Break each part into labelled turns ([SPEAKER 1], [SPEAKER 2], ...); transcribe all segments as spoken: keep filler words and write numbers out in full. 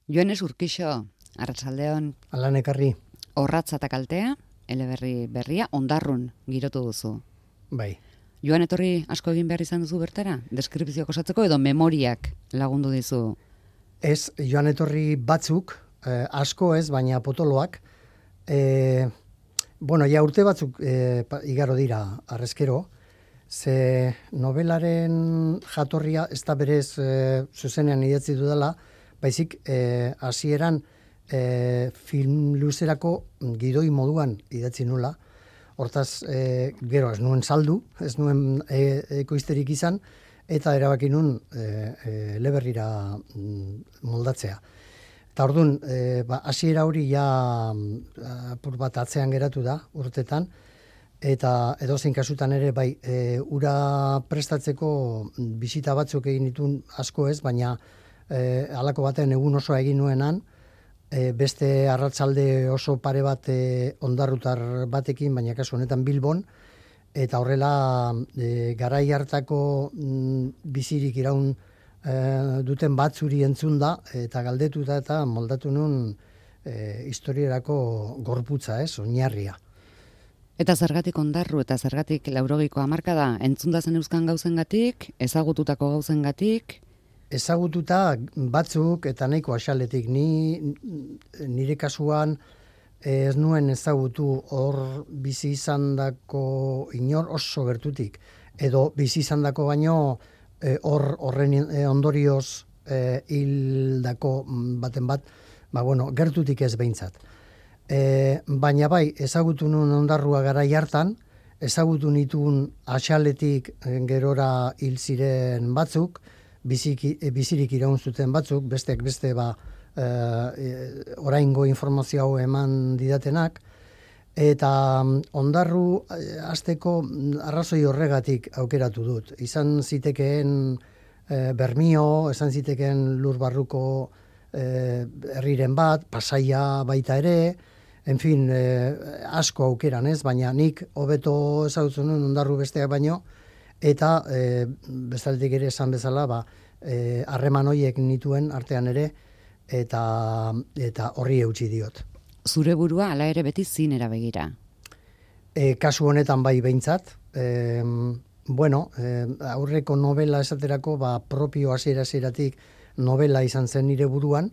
[SPEAKER 1] Joanes Urkixo, arratsaldeon.
[SPEAKER 2] Alan ekarri.
[SPEAKER 1] Orratza eta kaltea, eleberri berria, ondarrun girotu duzu.
[SPEAKER 2] Bai.
[SPEAKER 1] Joan etorri asko egin behar izan duzu bertara? Deskripzioak osatzeko edo memoriak lagundu dizu?
[SPEAKER 2] Ez, joan etorri batzuk, eh, asko ez, baina potoloak. Eh, bueno, ja urte batzuk eh, igaro dira arrezkero, ze novelaren jatorria ez da berez eh, zuzenean idatzi dudala, baizik eh, hasieran eh, film luzerako gidoi moduan idatzi nula. Hortaz, eh, gero ez nuen saldu, ez nuen e, ekoizterik izan, eta erabaki nun e, e, eleberrira moldatzea. Eta orduan, e, ba, hasiera hori ja apur bat atzean geratu da urtetan, eta edozein kasutan ere bai, e, ura prestatzeko bisita batzuk egin ditun asko ez, baina e, halako baten egun osoa egin nuenan, e, beste arratsalde oso pare bat e, ondarrutar batekin, baina kasu honetan Bilbon, eta horrela e, garai hartako mm, bizirik iraun e, duten batzuri entzun da, eta galdetuta eta moldatu nun e, historierako gorputza, ez, oinarria.
[SPEAKER 1] Eta zergatik ondarru eta zergatik laurogeiko hamarkada, entzunda zen euskan gauzengatik, ezagututako gauzengatik?
[SPEAKER 2] Ezagututa batzuk eta nahiko axaletik. Ni, nire kasuan ez nuen ezagutu hor bizi izandako inor oso gertutik. Edo bizi izandako baino hor e, horren e, ondorioz e, hildako baten bat, ba bueno, gertutik ez behintzat. E, baina bai, ezagutu nuen ondarrua garai hartan, ezagutu nituen axaletik gerora hil ziren batzuk, Biziki, bizirik iraun zuten batzuk, besteak beste ba, e, oraingo informazio hau eman didatenak, eta ondarru hasteko arrazoi horregatik aukeratu dut. Izan zitekeen e, Bermio, izan zitekeen lur barruko e, herriren bat, Pasaia baita ere, en fin, e, asko aukeran ez, baina nik hobeto ezagutzen nuen ondarru besteak baino, eta e, bestaldetik ere esan bezala, ba, e, harreman horiek nituen artean ere, eta eta horri eutsi diot.
[SPEAKER 1] Zure burua hala ere beti zinera begira?
[SPEAKER 2] E, kasu honetan bai behintzat, e, bueno, e, aurreko novela esaterako, ba, propio hasiera-hasieratik novela izan zen nire buruan,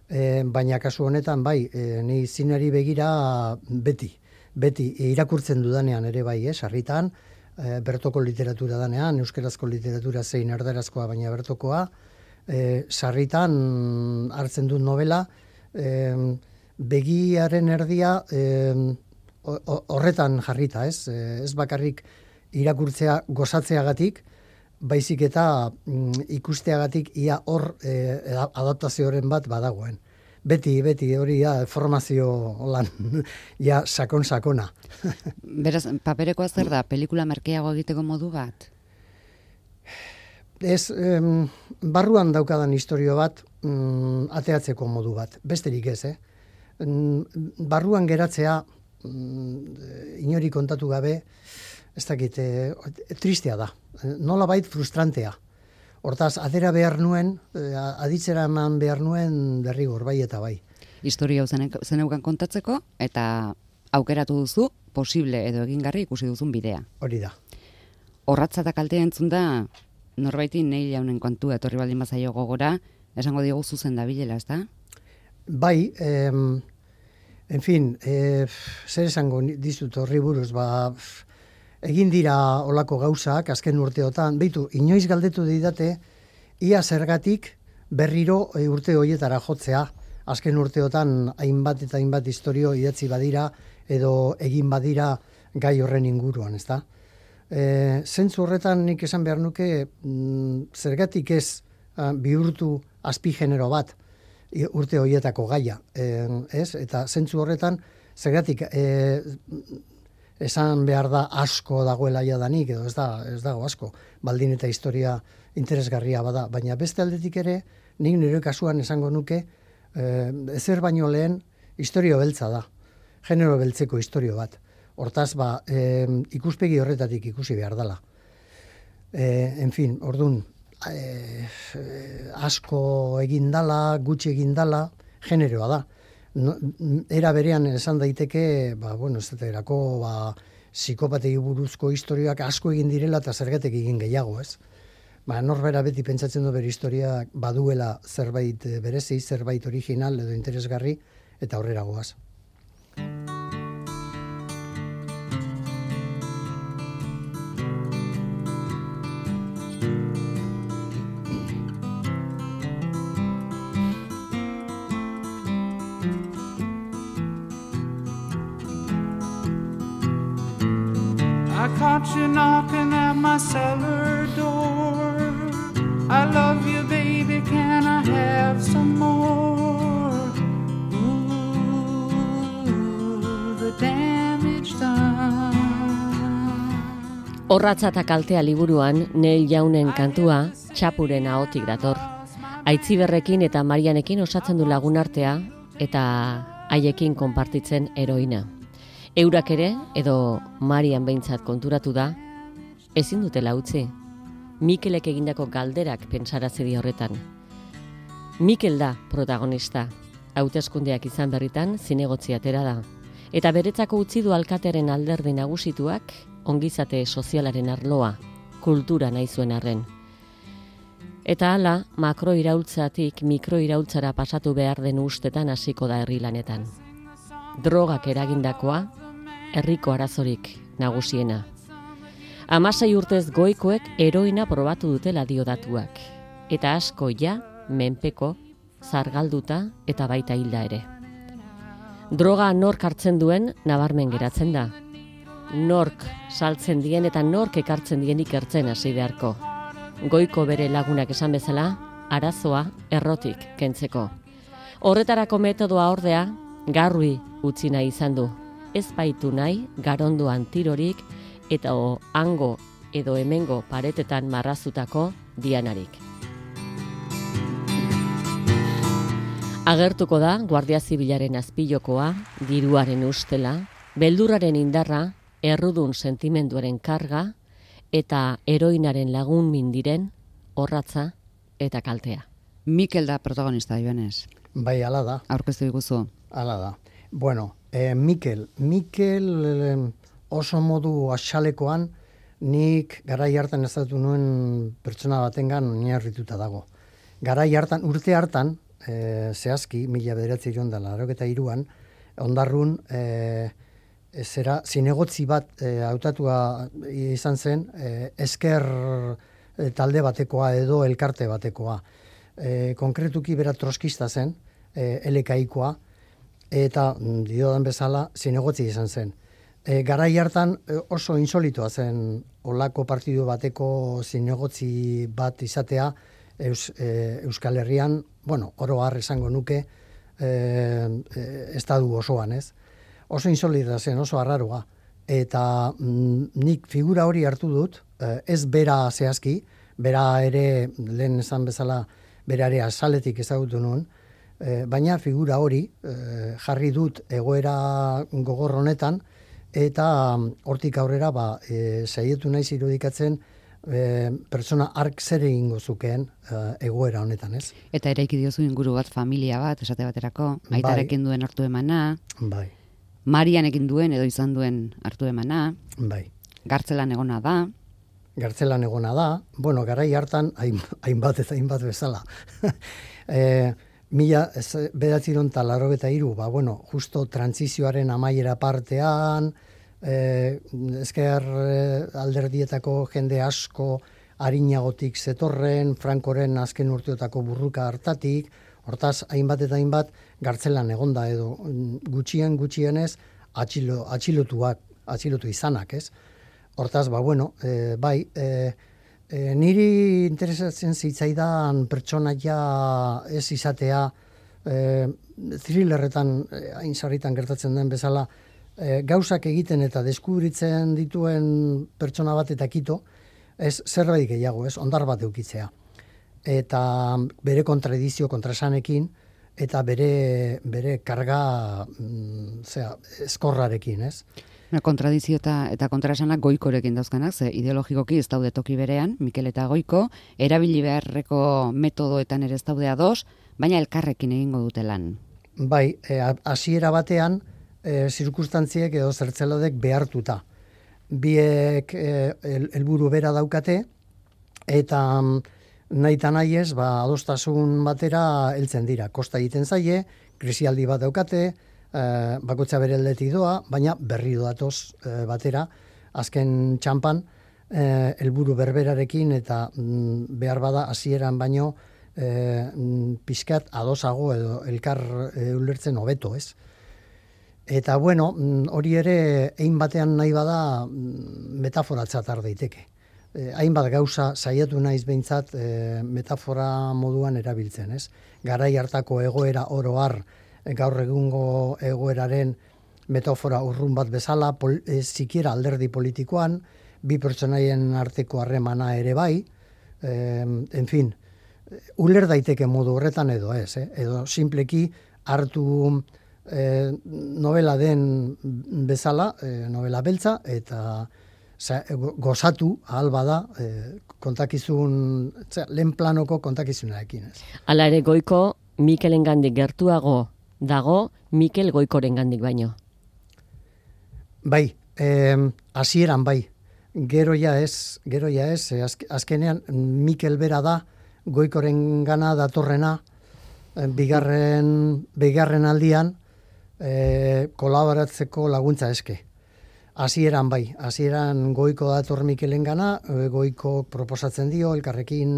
[SPEAKER 2] e, baina kasu honetan bai, e, ni zinari begira beti, beti irakurtzen dudanean ere bai, eh, sarritan, E, bertoko literatura danean, euskarazko literatura zein erdarazkoa, baina bertokoa, e, sarritan hartzen dut novela, e, begiaren erdia e, horretan jarrita, ez? E, ez bakarrik irakurtzea gozatzeagatik, baizik eta mm, ikusteagatik ia hor e, adaptazioaren bat badagoen. Beti, beti, hori ja, formazio lan, ja, sakon-sakona.
[SPEAKER 1] Beraz, paperekoa zer da, pelikula merkeago egiteko modu bat?
[SPEAKER 2] Ez, em, barruan daukadan historio bat, mm, ateatzeko modu bat, besterik ez, eh? Barruan geratzea, mm, inori kontatu gabe, ez dakit, e, tristea da, nola bait frustrantea. Hortaz, adera behar nuen, aditzera eman behar nuen derrigor, bai eta bai.
[SPEAKER 1] Historia hau zeneukan kontatzeko, eta aukeratu duzu, posible edo egingarri ikusi duzun bidea.
[SPEAKER 2] Hori da.
[SPEAKER 1] Orratza eta kaltea entzun da, norbaiti nei jaunen kontua etorri baldin bazaio gogora, esango diogu zuzen da bilela, ez da?
[SPEAKER 2] Bai, em, en fin, e, zer esango dizut horri buruz, ba... Egin dira olako gauzak, azken urteotan, beitu, inoiz galdetu didate, ia zergatik berriro urte horietara jotzea, azken urteotan hainbat eta hainbat historio idatzi badira, edo egin badira gai horren inguruan, ezta? E, zentzu horretan nik esan behar nuke, mm, zergatik ez a, bihurtu azpigenero bat urte horietako gaia, e, ez? Eta zentzu horretan, zergatik... E, esan behar da asko dagoela jadanik, edo ez da, ez dago asko, baldin eta historia interesgarria bada, baina beste aldetik ere, nik nire kasuan esango nuke, eh, ezer baino lehen, historio beltza da, genero beltzeko historio bat. Hortaz, ba, eh, ikuspegi horretatik ikusi behar dela. Eh, en fin, ordun, e, asko egindala, gutxi egindala, generoa da. No, era berean esan daiteke, ba, bueno, ez erako, ba, psikopatei buruzko historiak asko egin direla eta zergatik egin gehiago, ez? Ba, norbera beti pentsatzen du bere historia baduela zerbait berezi, zerbait original edo interesgarri, eta aurrera goaz.
[SPEAKER 3] I caught you knocking at my cellar door. I love you, baby, can I have some more? Ooh, the damage done.
[SPEAKER 4] Orratza eta kaltea liburuan Neil Yaunen kantua txapuren ahotik dator. Aitziberrekin eta Marianekin osatzen du lagunartea eta haiekin konpartitzen heroina. Eurak ere, edo Marian behintzat konturatu da, ezin dutela utzi. Mikelek egindako galderak pentsarazi di horretan. Mikel da protagonista. Hauteskundeak izan berritan zinegotzi atera da. Eta beretzako utzi du alkatearen alderdi nagusituak ongizate sozialaren arloa, kultura nahi zuen arren. Eta hala, makroiraultzatik mikroiraultzara pasatu behar den ustetan hasiko da herri lanetan. Drogak eragindakoa, herriko arazorik nagusiena. Hamasei urtez goikoek heroina probatu dutela dio datuak. Eta asko ja, menpeko, zargalduta eta baita hilda ere. Droga nork hartzen duen nabarmen geratzen da. Nork saltzen dien eta nork ekartzen dien ikertzen hasi beharko. Goiko bere lagunak esan bezala, arazoa errotik kentzeko. Horretarako metodoa ordea, garrui utzi nahi izan du. Ez baitu nahi garondoan tirorik eta o hango edo hemengo paretetan marrazutako dianarik. Agertuko da Guardia Zibilaren azpilokoa, diruaren ustela, beldurraren indarra, errudun sentimenduaren karga eta heroinaren lagun mindiren orratza eta kaltea.
[SPEAKER 1] Mikel da protagonista, Joanes.
[SPEAKER 2] Bai, ala da.
[SPEAKER 1] Aurkeztu diguzu.
[SPEAKER 2] Ala da. Bueno, eh, Mikel, Mikel eh, oso modu axalekoan nik garai hartan ezatu nuen pertsona batengan oinarrituta dago. Garai hartan, urte hartan, eh, zehazki, mila bederatzi iron da, laurogeita hiruan, ondarrun, eh, zera, zinegotzi bat eh, hautatua izan zen, eh, esker eh, talde batekoa edo elkarte batekoa. Eh, konkretuki bera troskista zen, eh, elekaikoa, eta diodan bezala zinegotzi izan zen. E, garai hartan oso insolitoa zen olako partidu bateko zinegotzi bat izatea Eus, e, Euskal Herrian, bueno, oro har esango nuke e, e, estadu osoan, ez? Oso insolitoa zen, oso arraroa. Eta mm, nik figura hori hartu dut, e, ez bera zehazki, bera ere, lehen esan bezala, bera ere azaletik ezagutu nuen, E, baina figura hori e, jarri dut egoera gogor honetan eta hortik aurrera ba, e, saietu naiz irudikatzen e, pertsona ark zer egingo zukeen e, egoera honetan, ez?
[SPEAKER 1] Eta eraiki diozu inguru bat, familia bat, esate baterako, aitarekin duen hartu emana,
[SPEAKER 2] bai.
[SPEAKER 1] Marianekin duen edo izan duen hartu emana,
[SPEAKER 2] bai.
[SPEAKER 1] Gartzelan egona da,
[SPEAKER 2] Gartzelan egona da, bueno, garai hartan hainbat eta hainbat bezala. e, Mila bederatziehun eta laurogeita hiru, ba, bueno, justo trantsizioaren amaiera partean, eh, ezker eh, alderdietako jende asko arinagotik zetorren, Frankoren azken urteotako burruka hartatik, hortaz, hainbat eta hainbat, gartzelan egonda edo gutxien gutxienez atxilo, atxilotuak, atxilotu izanak, ez? Hortaz, ba, bueno, eh, bai, eh, E, niri interesatzen zitzaidan pertsonaia ez izatea e, thrillerretan hain sarritan gertatzen den bezala e, gauzak egiten eta deskubritzen dituen pertsona bat eta kito, ez zerbait gehiago, ez ondar bat eukitzea. Eta bere kontradizio, kontrasanekin, eta bere, bere karga mm, zera, eskorrarekin, ez?
[SPEAKER 1] Kontradizio eta, eta kontraesanak Goikorekin dauzkanak, ze ideologikoki ez daude toki berean, Mikel eta Goiko, erabili beharreko metodoetan ere ez daude ados, baina elkarrekin egingo dute lan.
[SPEAKER 2] Bai, hasiera batean, e, zirkustantziek edo zertzelodek behartuta. Biek helburu bera daukate, eta nahi eta nahi ez, ba, adostasun batera heltzen dira. Kosta egiten zaie, krisialdi bat daukate, e, bakotza bere aldetik doa, baina berri doatoz e, batera, azken txampan, helburu berberarekin eta mm, behar bada hasieran baino e, pixkat adosago edo elkar e, ulertzen hobeto, ez? Eta bueno, hori ere ein batean nahi bada metaforatzat har daiteke. Eh, hainbat gauza saiatu naiz behintzat eh, metafora moduan erabiltzen, ez? Garai hartako egoera oro har, gaur egungo egoeraren metafora urrun bat bezala, pol, eh, sikiera alderdi politikoan, bi pertsonaien arteko harremana ere bai, eh, en fin, uler daiteke modu horretan edo ez, eh? Edo simpleki hartu E, novela den bezala, e, novela beltza, eta za, gozatu ahal bada e, kontakizun, zera, lehen planoko kontakizunarekin. Ez.
[SPEAKER 4] Hala ere Goiko Mikelengandik gertuago dago, Mikel Goikorengandik baino.
[SPEAKER 2] Bai, eh, hasieran bai. Gero ja ez, gero ja ez, azk, azkenean Mikel bera da Goikorengana datorrena, eh, bigarren, bigarren aldian, E, kolaboratzeko laguntza eske. Hasieran bai, hasieran Goiko dator Mikelengana, e, Goiko proposatzen dio elkarrekin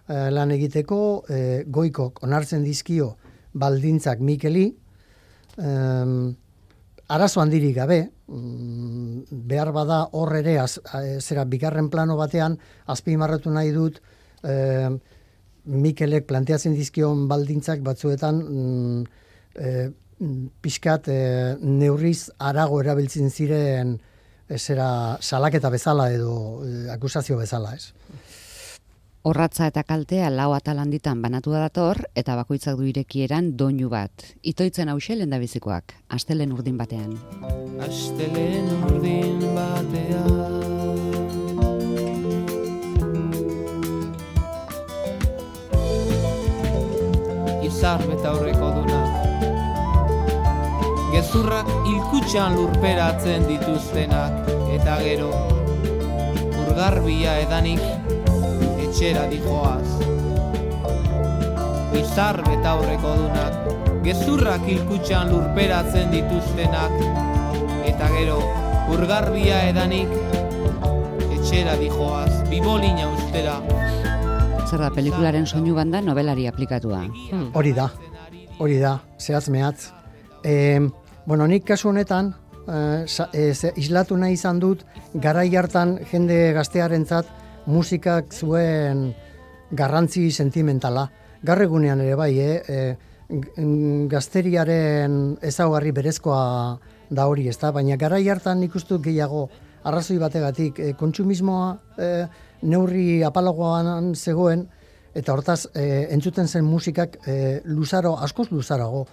[SPEAKER 2] e, lan egiteko, e, Goikok onartzen dizkio baldintzak Mikeli, e, arazo handirik gabe, mm, behar bada hor ere, az, zera bigarren plano batean, azpimarratu nahi dut, e, Mikelek planteatzen dizkion baldintzak batzuetan, mm, e, pixkat e, neurriz arago erabiltzen ziren zera salaketa bezala edo e, akusazio bezala, ez?
[SPEAKER 1] Orratza eta kaltea lau atal handitan banatu da dator, eta bakoitzak du irekieran doinu bat. Itoitzen hause lehendabizikoak, astelen urdin batean.
[SPEAKER 3] Astelen urdin batean Izar betaurreko duna gezurrak hilkutxan lurperatzen dituztenak, eta gero, urgarbia edanik, etxera dijoaz. Bizar betaurreko dunak, gezurrak hilkutxan lurperatzen dituztenak, eta gero, urgarbia edanik, etxera dijoaz, bibolina ustera.
[SPEAKER 1] Zer da, pelikularen soinu banda novelari aplikatua.
[SPEAKER 2] Hmm. Hori da, hori da, zehatz mehatz. E, bueno, nik kasu honetan, e, e, islatu nahi izan dut, garai hartan jende gaztearentzat musikak zuen garrantzi sentimentala. Gaur egunean ere bai, eh? e, gazteriaren ezaugarri berezkoa da hori, ezta? Baina garai hartan nik uste dut gehiago arrazoi bategatik e, kontsumismoa e, neurri apalagoan zegoen, eta hortaz e, entzuten zen musikak e, luzaro, askoz luzarago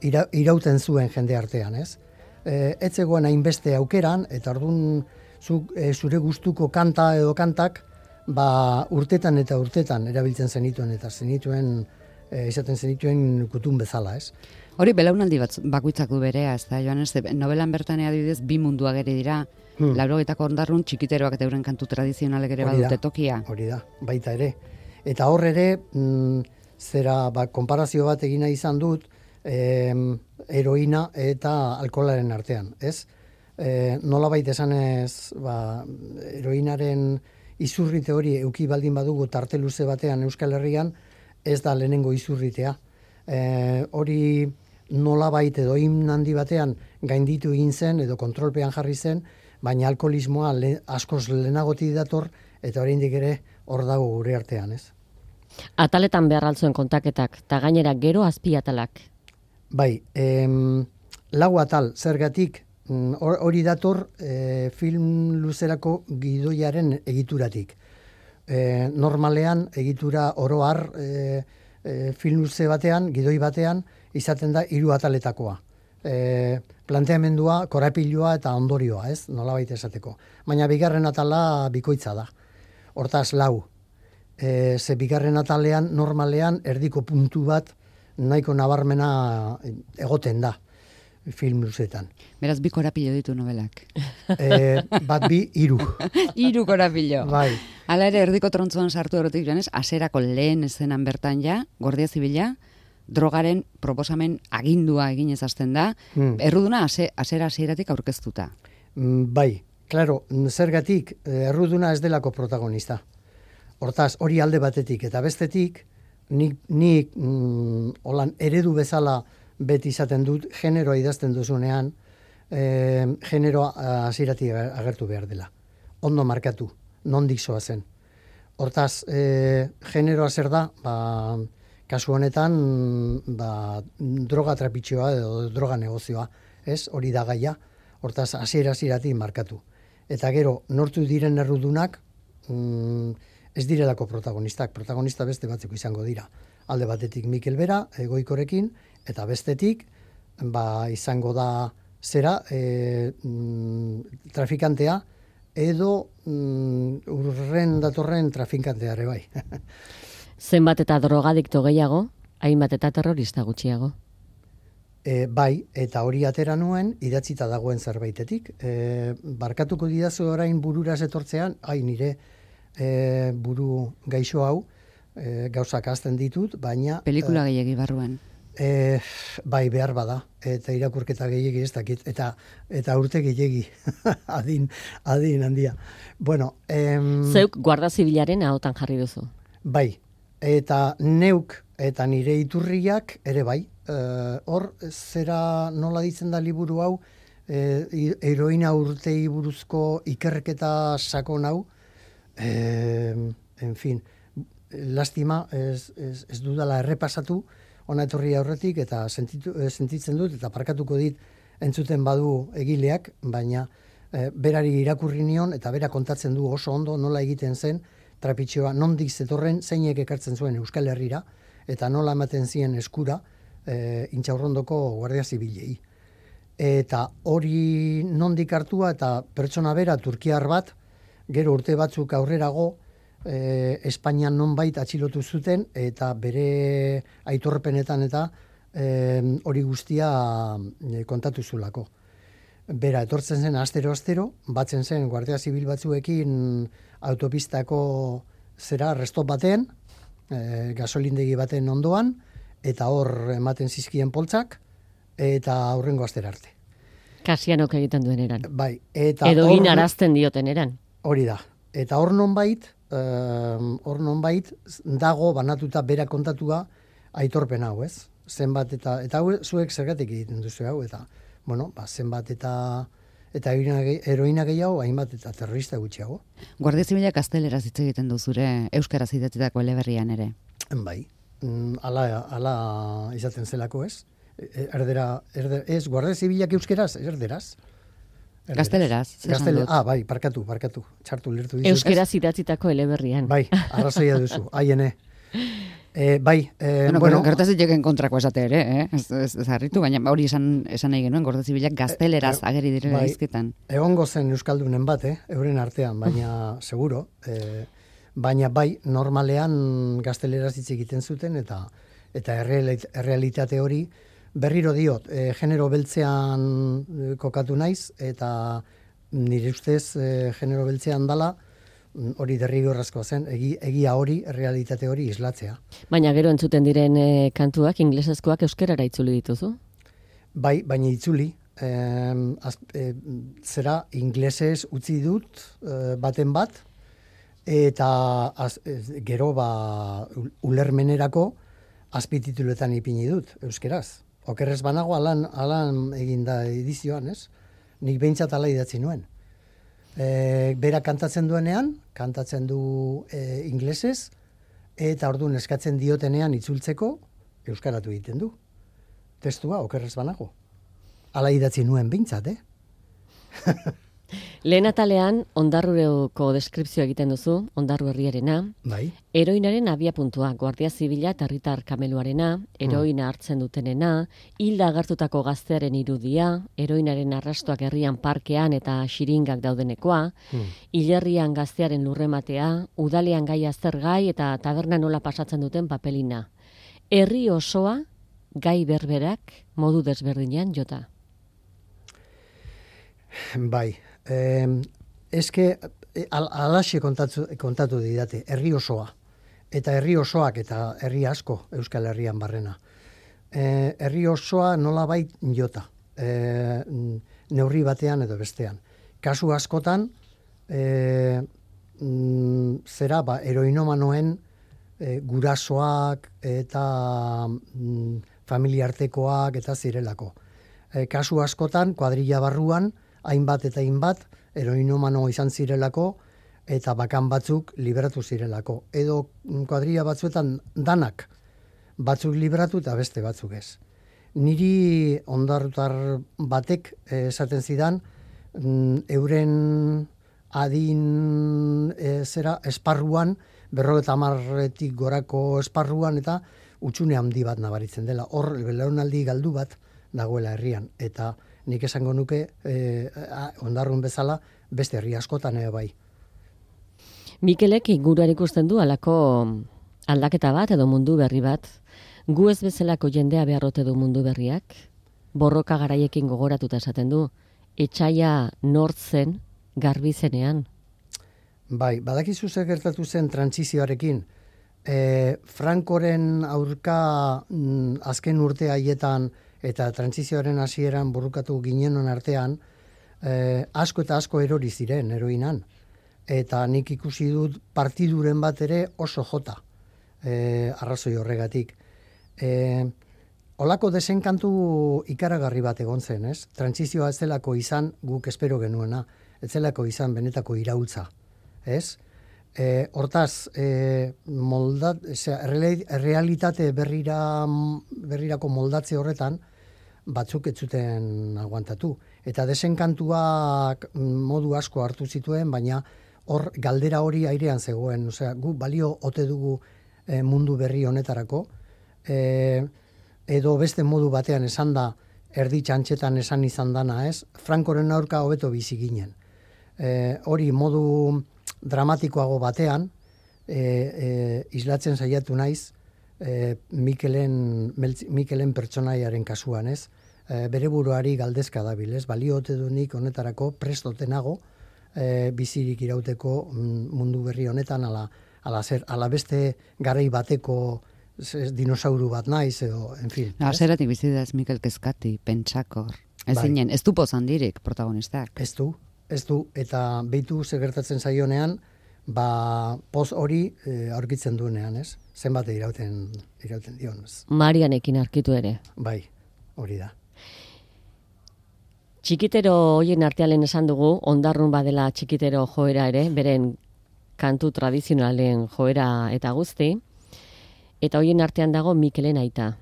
[SPEAKER 2] ira, irauten zuen jende artean, ez? E, ez zegoen hainbeste aukeran, eta orduan zu, e, zure gustuko kanta edo kantak ba, urtetan eta urtetan erabiltzen zenituen, eta zenituen, e, izaten zenituen kutun bezala, ez?
[SPEAKER 1] Hori belaunaldi bat bakoitzak du berea, ez da, Joan, ez, novelan bertan adibidez bi mundu ageri dira, hmm. laurogeitako ondarrun txikiteroak eta euren kantu tradizionalek ere badute tokia.
[SPEAKER 2] Hori da, baita ere. Eta hor ere, mm, zera, ba, konparazio bat egina izan dut, eh, heroina eta alkoholaren artean, ez? Eh, nola baita esanez, ba, heroinaren izurrite hori euki baldin badugu tarte luze batean Euskal Herrian, ez da lehenengo izurritea. Eh, hori nolabait edo himn handi batean gainditu egin zen edo kontrolpean jarri zen, baina alkoholismoa le, askoz lehenagoti dator eta oraindik ere hor dago gure artean, ez?
[SPEAKER 4] Ataletan behar altzuen kontaketak, eta gainera gero azpiatalak.
[SPEAKER 2] Bai, em, lau atal, zergatik hori dator e, film luzerako gidoiaren egituratik. E, normalean egitura oro har e, e, film luze batean, gidoi batean, izaten da hiru ataletakoa. e, planteamendua, korapilua eta ondorioa, ez? Nolabait esateko. Baina bigarren atala bikoitza da. Hortaz lau. E, ze bigarren atalean normalean erdiko puntu bat nahiko nabarmena egoten da film luzetan.
[SPEAKER 1] Beraz, bi korapilo ditu novelak.
[SPEAKER 2] E, bat bi, hiru.
[SPEAKER 1] Hiru korapilo.
[SPEAKER 2] Bai.
[SPEAKER 1] Hala ere, erdiko trontzuan sartu erotik joanez, aserako lehen ezenan bertan ja, Guardia Zibila, drogaren proposamen agindua eginez hasten da, hmm. erruduna ase, asera hasieratik aurkeztuta.
[SPEAKER 2] Mm, bai, claro, zergatik erruduna ez delako protagonista. Hortaz, hori alde batetik eta bestetik, nik, nik mm, holan eredu bezala beti izaten dut, generoa idazten duzunean, e, generoa hasieratik agertu behar dela. Ondo markatu, nondik zoa zen. Hortaz, e, generoa zer da, ba, kasu honetan, ba, droga trapitxoa edo droga negozioa, ez? Hori da gaia, hortaz, hasiera hasieratik markatu. Eta gero, nortu diren errudunak, mm, ez direlako protagonistak, protagonista beste batzuk izango dira. Alde batetik Mikel Bera, Goikorekin, eta bestetik, ba, izango da zera, e, mm, trafikantea, edo mm, urren datorren trafikanteare bai.
[SPEAKER 4] Zenbat eta drogadikto gehiago, hainbat eta terrorista gutxiago.
[SPEAKER 2] E, bai, eta hori atera nuen, idatzita dagoen zerbaitetik. E, barkatuko didazu orain burura etortzean, ai nire e, buru gaixo hau, e, gauzak hazten ditut, baina...
[SPEAKER 1] Pelikula gehiagi barruan.
[SPEAKER 2] E, bai, behar bada, eta irakurketa gehiagi ez dakit, eta, eta urte gehiagi, adin, adin handia. Bueno, em,
[SPEAKER 4] Zeuk Guardia Zibilaren ahotan jarri duzu.
[SPEAKER 2] Bai, eta neuk eta nire iturriak ere bai. E, hor, zera nola ditzen da liburu hau, e, heroina urtei buruzko ikerketa sakon hau, e, en fin, lastima ez, ez, ez dudala errepasatu, ona etorri aurretik eta sentitu, sentitzen dut eta parkatuko dit entzuten badu egileak, baina e, berari irakurri nion eta bera kontatzen du oso ondo nola egiten zen trapitxoa, nondik zetorren zeinek ekartzen zuen Euskal Herrira eta nola ematen zien eskura e, Intxaurrondoko Guardia Zibilei. Eta hori nondik hartua eta pertsona bera Turkiar bat, gero urte batzuk aurrerago, E, Espainian nonbait atxilotu zuten eta bere aitorpenetan eta e, hori guztia e, kontatu zulako. Bera, etortzen zen astero-astero, batzen zen Guardia Zibil batzuekin autopistako zera restop batean, e, gasolindegi baten ondoan, eta hor ematen zizkien poltsak, eta aurrengo astera arte.
[SPEAKER 4] Kasianok egiten duen eran.
[SPEAKER 2] Bai, eta
[SPEAKER 4] edo inarazten dioten eran.
[SPEAKER 2] Hori da. Eta hor nonbait, hor nonbait dago banatuta bera kontatua aitorpen hau, ez? Zenbat eta eta hau zuek zergatik egiten duzu hau eta bueno, ba zenbat eta eta heroina gehiago, hainbat eta terrorista gutxiago.
[SPEAKER 1] Guardia Zibilak gazteleraz hitz egiten du zure euskaraz idatzitako eleberrian ere.
[SPEAKER 2] Bai. Hala hala izaten zelako, ez? Erdera, erder, ez Guardia Zibilak euskeraz, erderaz.
[SPEAKER 1] Gazteleraz,
[SPEAKER 2] Gaztele, ah, bai, parkatu, parkatu. Txartu lertu dizut.
[SPEAKER 4] Euskeraz idatzitako eleberrian.
[SPEAKER 2] Bai, arrazoia duzu. Haiene. E, bai, e,
[SPEAKER 1] bueno,
[SPEAKER 2] bueno,
[SPEAKER 1] gertaz diteken kontrako esate ere, eh? Ez, ez, ez harritu, baina hori esan, esan nahi genuen, Guardia Zibilak gazteleraz e, ageri direla
[SPEAKER 2] bai,
[SPEAKER 1] izketan.
[SPEAKER 2] Egongo zen euskaldunen bat, eh? Euren artean, baina seguro. E, baina bai, normalean gazteleraz hitz egiten zuten, eta eta errealitate hori, berriro diot, e, genero beltzean e, kokatu naiz, eta nire ustez e, genero beltzean dala, hori derrigorrezkoa zen, egi, egia hori, realitate hori islatzea.
[SPEAKER 4] Baina gero entzuten diren e, kantuak, inglesezkoak euskerara itzuli dituzu?
[SPEAKER 2] Bai, baina itzuli. E, az, e, zera, inglesez utzi dut e, baten bat, eta az, e, gero ba, ulermenerako azpitituletan ipini dut, euskeraz. Okerrez banago alan, alan eginda edizioan, ez? Nik behintzat ala idatzi nuen. E, bera kantatzen duenean, kantatzen du e, inglesez, eta orduan eskatzen diotenean itzultzeko, euskaratu egiten du. Testua, okerrez banago. Ala idatzi nuen behintzat, eh?
[SPEAKER 4] Lehen atalean, Ondarruko deskripzio egiten duzu, Ondarru herriarena,
[SPEAKER 2] Bai.
[SPEAKER 4] heroinaren abiapuntua, Guardia Zibila eta herritar kameluarena, heroina hartzen dutenena, hilda agertutako gaztearen irudia, heroinaren arrastoak herrian parkean eta xiringak daudenekoa, hilerrian gaztearen lurrematea, udalean gai aztergai eta taberna nola pasatzen duten papelina. Herri osoa gai berberak modu desberdinean jota.
[SPEAKER 2] Bai, eh, eske al, alaxe kontatu, kontatu didate, herri osoa. Eta herri osoak eta herri asko Euskal Herrian barrena. Eh, herri osoa nolabait jota, eh, neurri batean edo bestean. Kasu askotan, eh, mm, zera, ba, heroinomanoen eh, gurasoak eta mm, familiartekoak eta zirelako. Eh, kasu askotan, kuadrilla barruan, hainbat eta hainbat, heroinomano izan zirelako, eta bakan batzuk liberatu zirelako. Edo kuadrilla batzuetan danak batzuk liberatu eta beste batzuk ez. Niri ondarrutar batek esaten zidan, euren adin e, zera esparruan, berrogeta hamarretik gorako esparruan, eta utxune handi bat nabaritzen dela. Hor, belaunaldi galdu bat dagoela herrian, eta nik esango nuke eh, Ondarrun bezala beste herri askotan ere bai.
[SPEAKER 4] Mikelek inguruan ikusten du halako aldaketa bat edo mundu berri bat. Gu ez bezalako jendea beharrote du mundu berriak. Borroka garaiekin gogoratuta esaten du. Etxaia nortzen garbi zenean.
[SPEAKER 2] Bai, badakizu zer gertatu zen trantsizioarekin. E, Frankoren aurka mm, azken urte haietan eta trantsizioaren hasieran borrokatu ginenon artean, eh, asko eta asko erori ziren heroinan. Eta nik ikusi dut partiduren bat ere oso jota, eh, arrazoi horregatik. Eh, olako desenkantu ikaragarri bat egon zen, ez? Trantsizioa ez zelako izan guk espero genuena, ez zelako izan benetako iraultza, ez? E, hortaz, e, moldat, zera, realitate berrira, berrirako moldatze horretan, batzuk ez zuten aguantatu. Eta desenkantuak modu asko hartu zituen, baina hor galdera hori airean zegoen. Osea, gu balio ote dugu e, mundu berri honetarako, e, edo beste modu batean esan da, erdi txantxetan esan izan dana, ez? Frankoren aurka hobeto bizi ginen. E, hori modu dramatikoago batean, e, e, islatzen saiatu naiz, e, Mikelen, Mikelen pertsonaiaren kasuan, ez? E, bere buruari galdezka dabil, ez? Baliote du nik honetarako prestotenago, e, bizirik irauteko mundu berri honetan, ala, ala, zer, ala beste garai bateko ez, dinosauru bat naiz, edo, en fin.
[SPEAKER 1] Azeratik bizi da ez Mikel kezkati, pentsakor. Ez
[SPEAKER 2] Bai.
[SPEAKER 1] zinen, ez du pozandirik protagonistak.
[SPEAKER 2] Ez du, ez du, eta behitu ze gertatzen zaionean, ba, poz hori e, aurkitzen duenean, ez? Zenbat irauten, irauten dion, ez?
[SPEAKER 4] Marianekin arkitu ere.
[SPEAKER 2] Bai, hori da.
[SPEAKER 4] Txikitero hoien artean esan dugu, Ondarrun badela txikitero joera ere, beren kantu tradizionalen joera eta guzti, eta hoien artean dago Mikelen aita.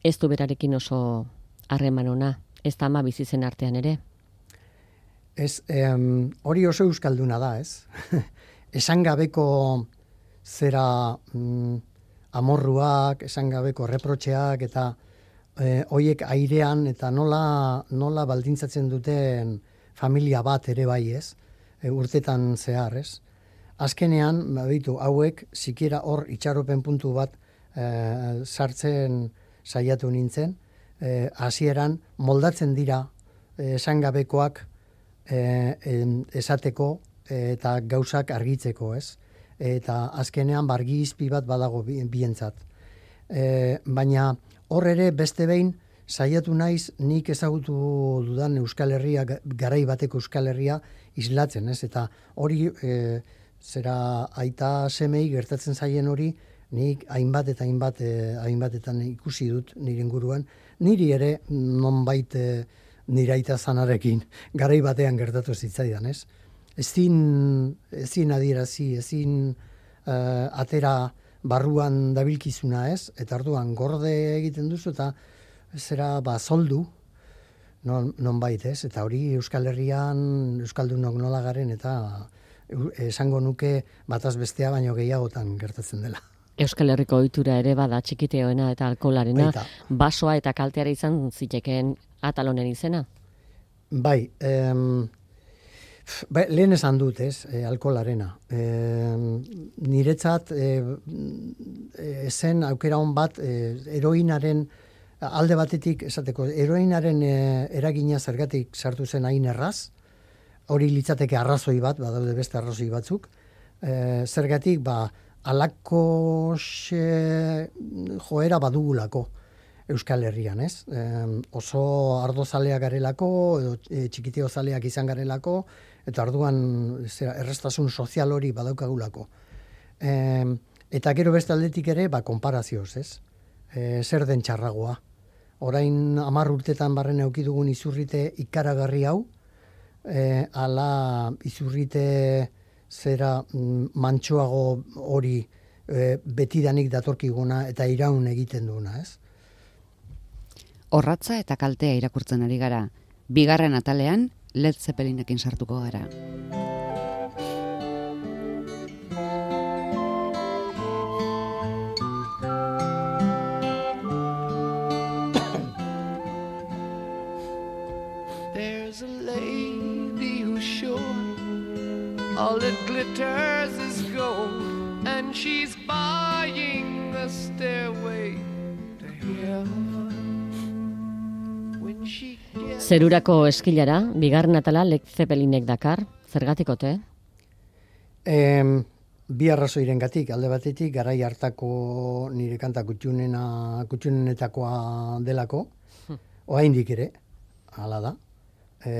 [SPEAKER 4] Ez du berarekin oso harreman ona, ez da ama bizitzen artean ere.
[SPEAKER 2] Ez, em, hori oso euskalduna da, ez? Esan gabeko zera mm, amorruak, esan gabeko reprotxeak, eta e, hoiek airean, eta nola, nola baldintzatzen duten familia bat ere bai, ez? E, urtetan zehar, ez? Azkenean, baditu, hauek, sikiera hor itxaropen puntu bat e, sartzen saiatu nintzen, e, hasieran moldatzen dira e, esan gabekoak E, esateko eta gauzak argitzeko, ez? Eta azkenean bargi izpi bat badago bientzat. E, baina hor ere beste behin saiatu naiz nik ezagutu dudan Euskal Herria, garai bateko Euskal Herria islatzen, ez? Eta hori e, zera aita semei gertatzen zaien hori nik hainbat eta hainbat e, hainbatetan ikusi dut nire inguruan. Niri ere nonbait e, niraita zanarekin, garai batean gertatu zitzaidan, ez? Ezin, ezin adierazi, ezin uh, atera barruan dabilkizuna, ez? Eta orduan gorde egiten duzu eta zera ba zoldu, non, non bait, ez? Eta hori Euskal Herrian, Euskaldunok nola garen, eta esango nuke bataz bestea baino gehiagotan gertatzen dela.
[SPEAKER 4] Euskal Herriko ohitura ere bada txikiteoena eta alkoholarena,
[SPEAKER 2] Baita.
[SPEAKER 4] basoa eta kalteara izan zitekeen atalonen izena?
[SPEAKER 2] Bai, em, ba, lehen esan dut, ez, e, alkoholarena. E, niretzat e, zen aukera hon bat e, heroinaren alde batetik esateko, heroinaren e, eragina zergatik sartu zen hain erraz, hori litzateke arrazoi bat, badaude beste arrazoi batzuk, e, zergatik, ba, alako xe, joera badugulako Euskal Herrian, ez? E, oso ardozaleak garelako, edo e, txikitiozaleak izan garelako, eta orduan zera, errestasun sozial hori badaukagulako. E, eta gero beste aldetik ere, ba, konparazioz, ez? E, zer den txarragoa. Orain hamar urtetan barren eduki dugun izurrite ikaragarri hau, e, ala izurrite zera mm, mantxoago hori e, betidanik datorkiguna eta iraun egiten duena, ez?
[SPEAKER 1] Orratza eta kaltea irakurtzen ari gara. Bigarren atalean, Led Zeppelinekin sartuko gara.
[SPEAKER 3] There's a lady who's sure all that glitters is gold, and she's buying a stairway to heaven. When she gets
[SPEAKER 4] Zerurako eskilara, bigarren atala Led Zeppelinek dakar, zergatikote?
[SPEAKER 2] Em, bi arrazoirengatik, alde batetik garai hartako nire kanta kutxunena, kutxunenetakoa delako, oraindik ere, hala da. E,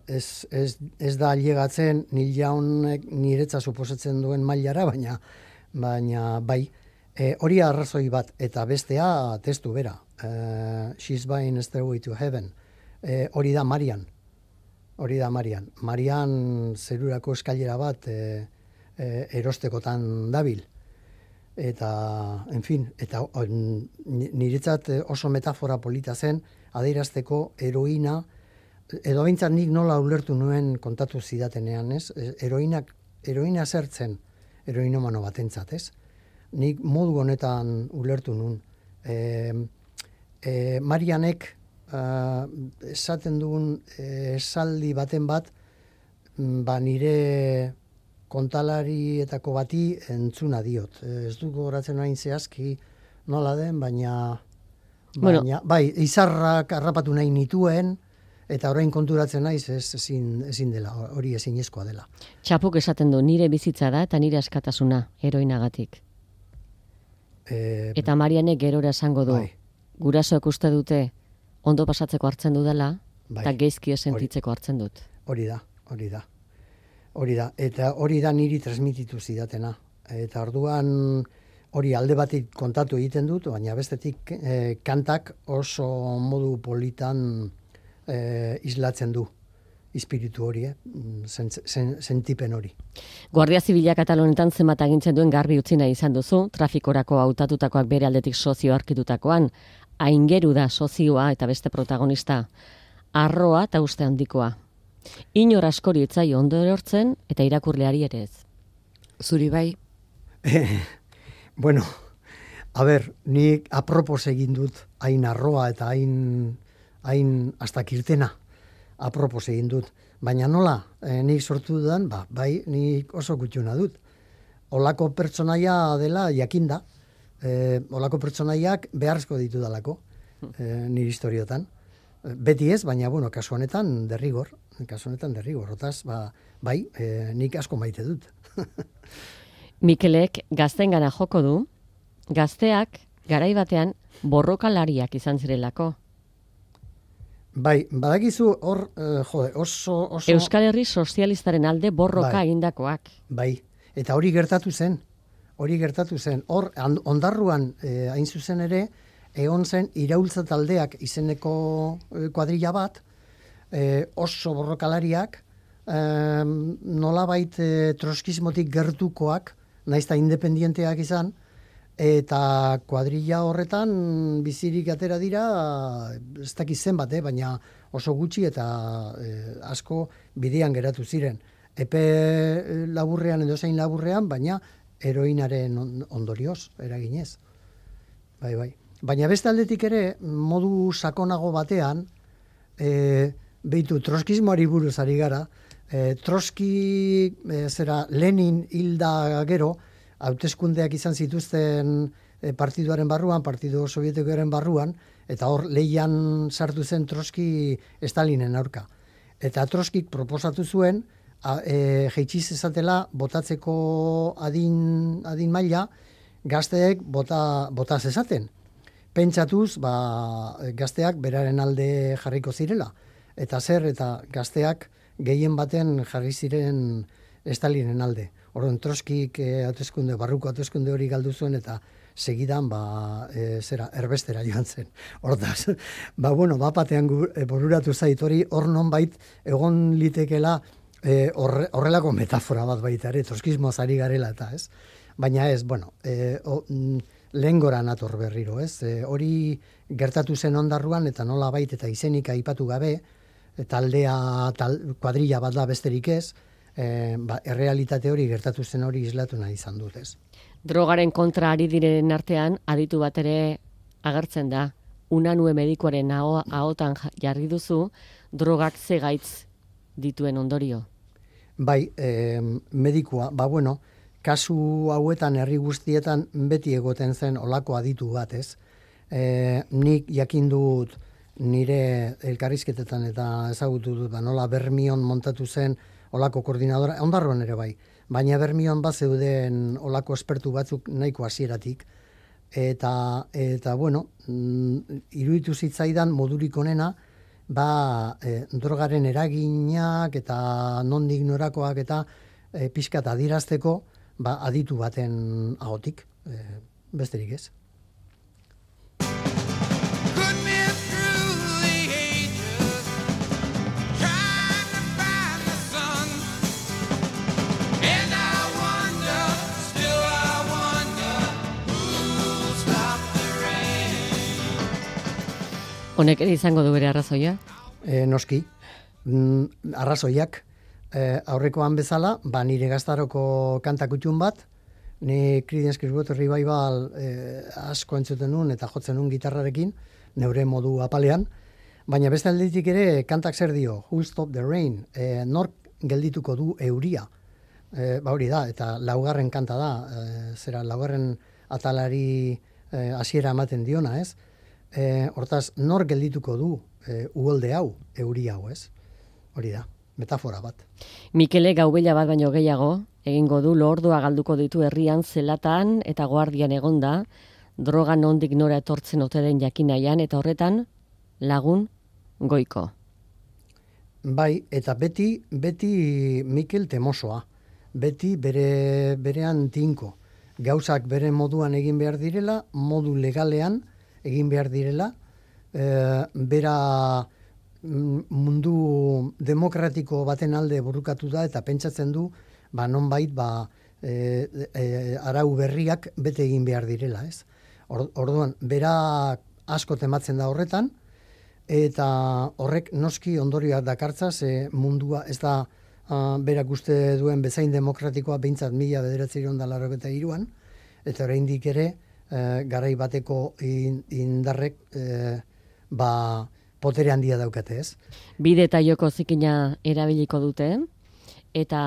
[SPEAKER 2] ez, ez, ez da ailegatzen Neil Youngek niretza suposatzen duen mailara, baina baina bai, e, hori arrazoi bat, eta bestea testu bera. E, She's Buying a Stairway to Heaven. E, hori da Marian. Hori da Marian. Marian zerurako eskailera bat e, e, erostekotan dabil. Eta, en fin, eta on, niretzat oso metafora polita zen, adierazteko heroina, edo behintzat nik nola ulertu nuen kontatu zidatenean, ez? Heroinak, heroina zertzen, heroinomano batentzat, ez? Nik modu honetan ulertu nuen. E, e, Marianek uh, esaten dugun esaldi baten bat, ba nire kontalarietako bati entzuna diot. Ez du gogoratzen hain zehazki nola den, baina, baina
[SPEAKER 4] Bueno.
[SPEAKER 2] bai, izarrak harrapatu nahi nituen, eta orain konturatzen naiz ez ezin, ezin dela, hori ezinezkoa dela.
[SPEAKER 4] Txapuk esaten du, nire bizitza da eta nire askatasuna, heroinagatik.
[SPEAKER 2] E,
[SPEAKER 4] Eta Marianek gerora esango du,
[SPEAKER 2] bai.
[SPEAKER 4] gurasoek uste dute ondo pasatzeko hartzen dudala,
[SPEAKER 2] Bai.
[SPEAKER 4] eta geizkio sentitzeko hartzen dut.
[SPEAKER 2] Hori da, hori da. Hori da, eta hori da niri transmititu zidatena. Eta orduan hori alde batik kontatu egiten dut, baina bestetik eh, kantak oso modu politan eh, islatzen du espiritu hori, eh? Zen, zen, sentipen hori.
[SPEAKER 4] Guardia Zibila Katalonetan zenbat agintzen duen garbi utzi nahi izan duzu, trafikorako hautatutakoak bere aldetik sozio arkitutakoan, aingeru da sozioa eta beste protagonista, arroa eta uste handikoa. Inor askori etzai ondo erortzen eta irakurleari ere ez.
[SPEAKER 1] Zuri bai,
[SPEAKER 2] Bueno, a ber, nik apropos egin dut hain arroa eta hain, hain hasta kirtena apropos egin dut. Baina nola, e, nik sortu dudan, ba, bai, nik oso gutxuna dut. Olako pertsonaia dela jakinda, e, olako pertsonaiak beharrezko ditu dalako, e, nire historiotan. Beti ez, baina, bueno, kasu honetan derrigor, kasu honetan derrigor, otaz, ba, bai, e, nik asko maite dut.
[SPEAKER 4] Mikelek gaztengana joko du, gazteak garai batean borrokalariak izan zirelako.
[SPEAKER 2] Bai, badakizu hor, eh, jode, oso, oso...
[SPEAKER 4] Euskal Herri sozialistaren alde borroka
[SPEAKER 2] Bai.
[SPEAKER 4] egindakoak.
[SPEAKER 2] Bai, eta hori gertatu zen, hori gertatu zen. Hor, and- ondarruan, eh, hain zuzen ere, egon zen iraultza taldeak izeneko eh, kuadrilla bat, eh, oso borrokalariak, eh, nolabait eh, troskismotik gertukoak, naizta independienteak izan, eta kuadrilla horretan bizirik atera dira, ez dakiz zenbat, eh, baina oso gutxi eta eh, asko bidean geratu ziren. Epe laburrean edo zein laburrean, baina heroinaren ondorioz, eraginez. Bai, bai. Baina beste aldetik ere, modu sakonago batean, e, behitu, troskismoari buruz ari gara, e, Troski, e, zera, Lenin hilda gero, hauteskundeak izan zituzten e, partiduaren barruan, partidu sovietikoaren barruan, eta hor lehian sartu zen Troski Stalinen aurka. Eta Troskik proposatu zuen, a, e, jeitxiz ezatela botatzeko adin, adin maila, gazteek bota, bota zezaten. Pentsatuz, ba, gazteak beraren alde jarriko zirela. Eta zer, eta gazteak gehien baten jarri ziren Stalinen alde. Orduan Troskik eh, hauteskunde, barruko hauteskunde hori galdu zuen eta segidan ba, e, zera, erbestera joan zen. Hortaz, ba, bueno, bapatean e, bururatu zait hori, hor nonbait egon litekela e, horre, horrelako metafora bat baita ere, troskismoaz ari garela eta ez. Baina ez, bueno, e, o, lehen gora nator berriro, ez? E, hori gertatu zen ondarruan eta nola bait eta izenik aipatu gabe, taldea, tal, kuadrilla bat da besterik ez, e, ba, errealitate hori gertatu zen hori islatu nahi izan dut, ez?
[SPEAKER 4] Drogaren kontra ari diren artean, aditu bat ere agertzen da. Unanue medikoaren ahotan jarri duzu, drogak ze gaitz dituen ondorio.
[SPEAKER 2] Bai, e, medikua, ba bueno, kasu hauetan herri guztietan beti egoten zen olako aditu bat, ez? E, nik jakin dut nire elkarrizketetan eta ezagutu dut, ba, nola Bermion montatu zen olako koordinadora, ondarroan ere bai, baina Bermion bat zeuden olako espertu batzuk nahiko hasieratik, eta, eta bueno, iruditu zitzaidan modurik onena, ba, e, drogaren eraginak eta nondik norakoak eta e, pixkat adirazteko, ba, aditu baten ahotik, e, besterik ez.
[SPEAKER 4] Honek ere izango du bere arrazoia?
[SPEAKER 2] E, noski, mm, arrazoiak e, aurrekoan bezala, ba, nire gaztaroko kantakutxun bat, ni Creedence Clearwater Revival e, asko entzuten nun eta jotzen nun gitarrarekin, neure modu apalean, baina beste aldetik ere kantak zer dio, Who'll Stop the Rain, e, nork geldituko du euria, e, ba hori da, eta laugarren kanta da, e, zera laugarren atalari hasiera e, ematen diona, ez? E, hortaz, nor geldituko du e, uholde hau, euri hau, ez? Hori da, metafora bat.
[SPEAKER 4] Mikele gaubela bat baino gehiago, egingo du lordua galduko ditu herrian zelatan eta guardian egonda, droga nondik nora etortzen ote den jakinaian, eta horretan lagun goiko.
[SPEAKER 2] Bai, eta beti, beti Mikel temosoa, beti bere, berean tinko. Gauzak bere moduan egin behar direla, modu legalean, egin behar direla, e, bera mundu demokratiko baten alde burrukatu da eta pentsatzen du, ba nonbait ba e, e, arau berriak bete egin behar direla, ez? Or, orduan, bera asko tematzen da horretan, eta horrek noski ondorioak dakartza, ze mundua ez da uh, berak uste duen bezain demokratikoa behintzat mila bederatziehun eta laurogeita hiruan, eta oraindik ere E, garai bateko indarrek e, ba, potere handia daukate, ez?
[SPEAKER 4] Bide eta joko zikina erabiliko dute, eta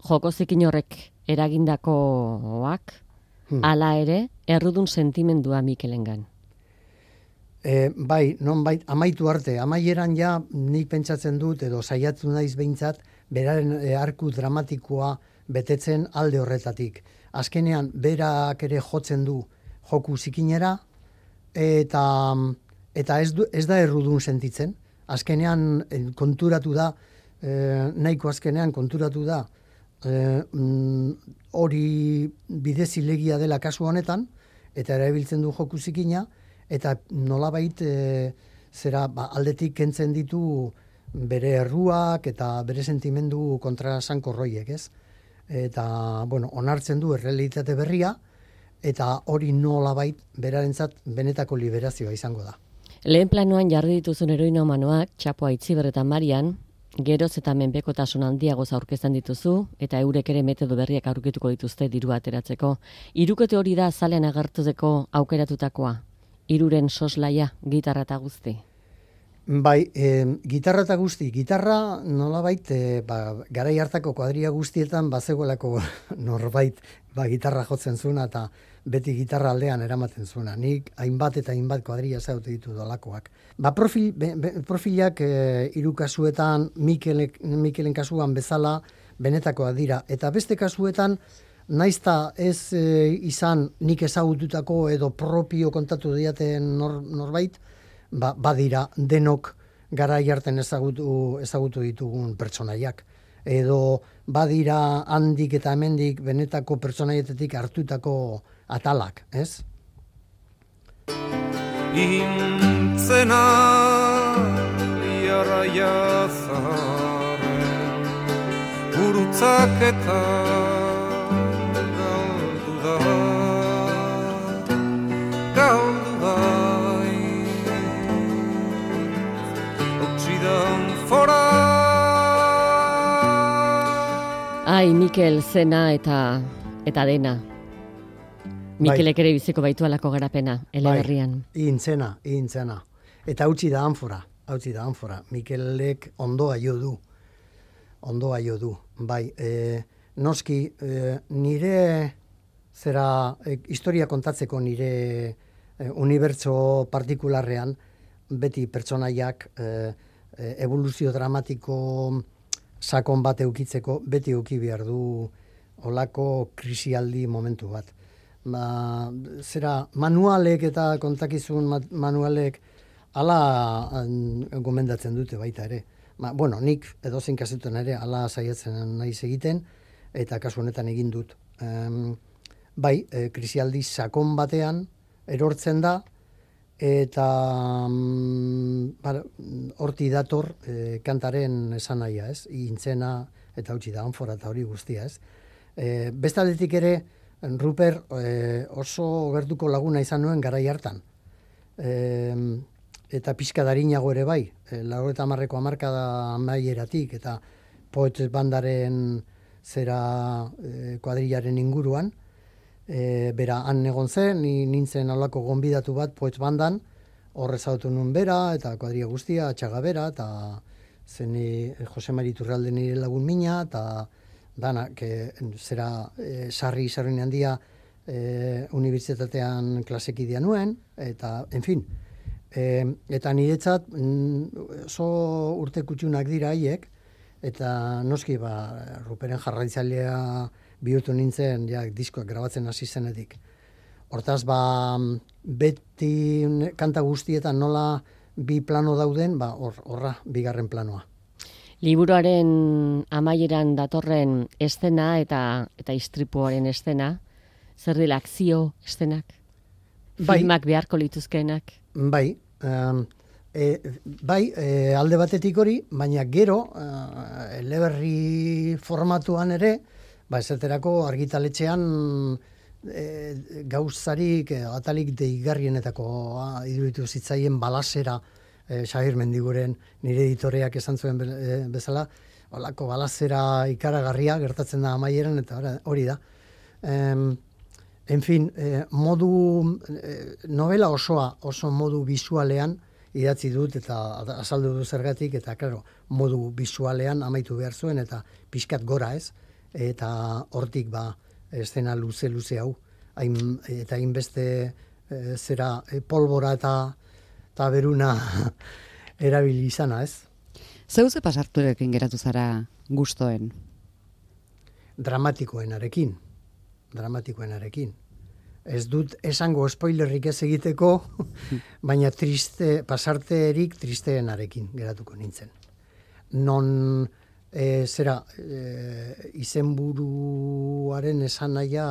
[SPEAKER 4] joko zikin horrek eragindakoak, hmm. ala ere, errudun sentimendua Mikelengan.
[SPEAKER 2] E, bai, non bai, amaitu arte, amaieran ja nik pentsatzen dut, edo saiatu naiz behintzat, beraren e, arku dramatikoa betetzen alde horretatik. Azkenean, berak ere jotzen du joku zikinera, eta, eta ez, du, ez da errudun sentitzen. Azkenean konturatu da, e, nahiko azkenean konturatu da, hori e, bidezilegia dela kasu honetan, eta erabiltzen du joku zikina, eta nolabait e, zera ba, aldetik kentzen ditu bere erruak eta bere sentimendu kontrasankorroiek, ez? Eta, bueno, onartzen du errealitate berria, eta hori nolabait berarentzat benetako liberazioa izango da.
[SPEAKER 4] Lehen planoan jarri dituzun heroinomanoak, Txapo, Aitziber eta Marian, geroz eta menpekotasun handiagoz aurkezten dituzu, eta eurek ere metodo berriak aurkituko dituzte dirua ateratzeko. Hirukote hori da azalean agertuzeko aukeratutakoa, hiruren soslaia, gitarra eta guzti.
[SPEAKER 2] Bai, e, gitarra eta guzti, gitarra nolabait, e, ba, garai hartako kuadria guztietan bazegoelako norbait ba, gitarra jotzen zuena eta beti gitarra aldean eramaten zuena. Nik hainbat eta hainbat kuadria zaute ditu dolakoak. Ba, profil, be, be, profilak e, hiru kasuetan, Mikelek, Mikelen kasuan bezala benetakoa dira. Eta beste kasuetan, naizta ez e, izan nik ezagututako edo propio kontatu diaten nor, norbait, Ba, badira denok garai harten ezagutu, ezagutu ditugun pertsonaiak. Edo badira handik eta hemendik benetako pertsonaietetik hartutako atalak, ez?
[SPEAKER 5] Intzena iarraia zaren gurutzak eta galdu da galdu da
[SPEAKER 4] Ai, Mikel, zena eta eta dena. Mikelek ere biziko baitu alako garapena, eleberrian.
[SPEAKER 2] Bai, intzena, intzena. Eta hautsi da anfora, hautsi da anfora. Mikelek ondoa jo du. Ondoa jo du. Bai, e, noski, e, nire zera e, historia kontatzeko nire e, unibertso partikularrean, beti pertsonaiak e, e, evoluzio dramatiko sakon bat eukitzeko, beti euki behar du olako krisialdi momentu bat. Ba, zera, manualek eta kontakizun manualek ala gomendatzen dute baita ere. Ba, bueno, nik edozein kasetuan ere ala saiatzen naiz egiten, eta kasu honetan egin dut. Um, bai, e, krisialdi sakon batean erortzen da, eta um, horti dator e, kantaren esanahia, ez? Intzena eta hautsi da anfora eta hori guztia, ez? E, bestaldetik ere, Ruper e, oso gertuko laguna izan nuen garai hartan. E, eta pixka darinago ere bai, e, laurogeita hamarreko hamarkada amaieratik eta Poets bandaren zera e, kuadrilaren inguruan, E, bera, han egon zen, ni nintzen alako gonbidatu bat Poets bandan, horre zautu nuen bera, eta kuadria guztia, atxaga bera, eta zeni Jose Mari Iturralde nire lagun mina, eta dana, que, zera e, sarri sarri handia e, unibertsitatean klasekidea nuen, eta, en fin, e, eta niretzat oso urte kutxunak dira haiek, eta noski, ba, Ruperen jarraitzailea bihurtu nintzen, ja, diskoak grabatzen hasi zenetik. Hortaz, ba, beti kanta guztietan nola bi plano dauden, ba, hor, horra, bigarren planoa.
[SPEAKER 4] Liburuaren amaieran datorren eszena eta eta istripuaren eszena, zer dela akzio eszenak?
[SPEAKER 2] Bai.
[SPEAKER 4] Filmak beharko lituzkeenak?
[SPEAKER 2] Bai, um, e, bai, e, alde batetik hori, baina gero, uh, eleberri formatuan ere, ba, esaterako argitaletxean e, gauzarik, e, atalik deigarrienetako iruditu zitzaien balasera, e, Xabier Mendiguren nire editoreak esan zuen be, e, bezala, holako balasera ikaragarria gertatzen da amaieran, eta hori da. Em, en fin, e, modu, e, novela osoa, oso modu bisualean idatzi dut, eta azaldu du zergatik, eta claro, modu bisualean amaitu behar zuen, eta pixkat gora ez, eta hortik ba eszena luze luze hau hain, eta hainbeste e, zera e, polbora eta eta beruna erabili izana, ez?
[SPEAKER 1] Zeu ze pasarturekin geratu zara gustoen?
[SPEAKER 2] Dramatikoenarekin. Dramatikoenarekin. Ez dut esango spoilerrik ez egiteko, baina triste, pasarterik tristeenarekin geratuko nintzen. Non E, zera, e, izenburuaren esanahia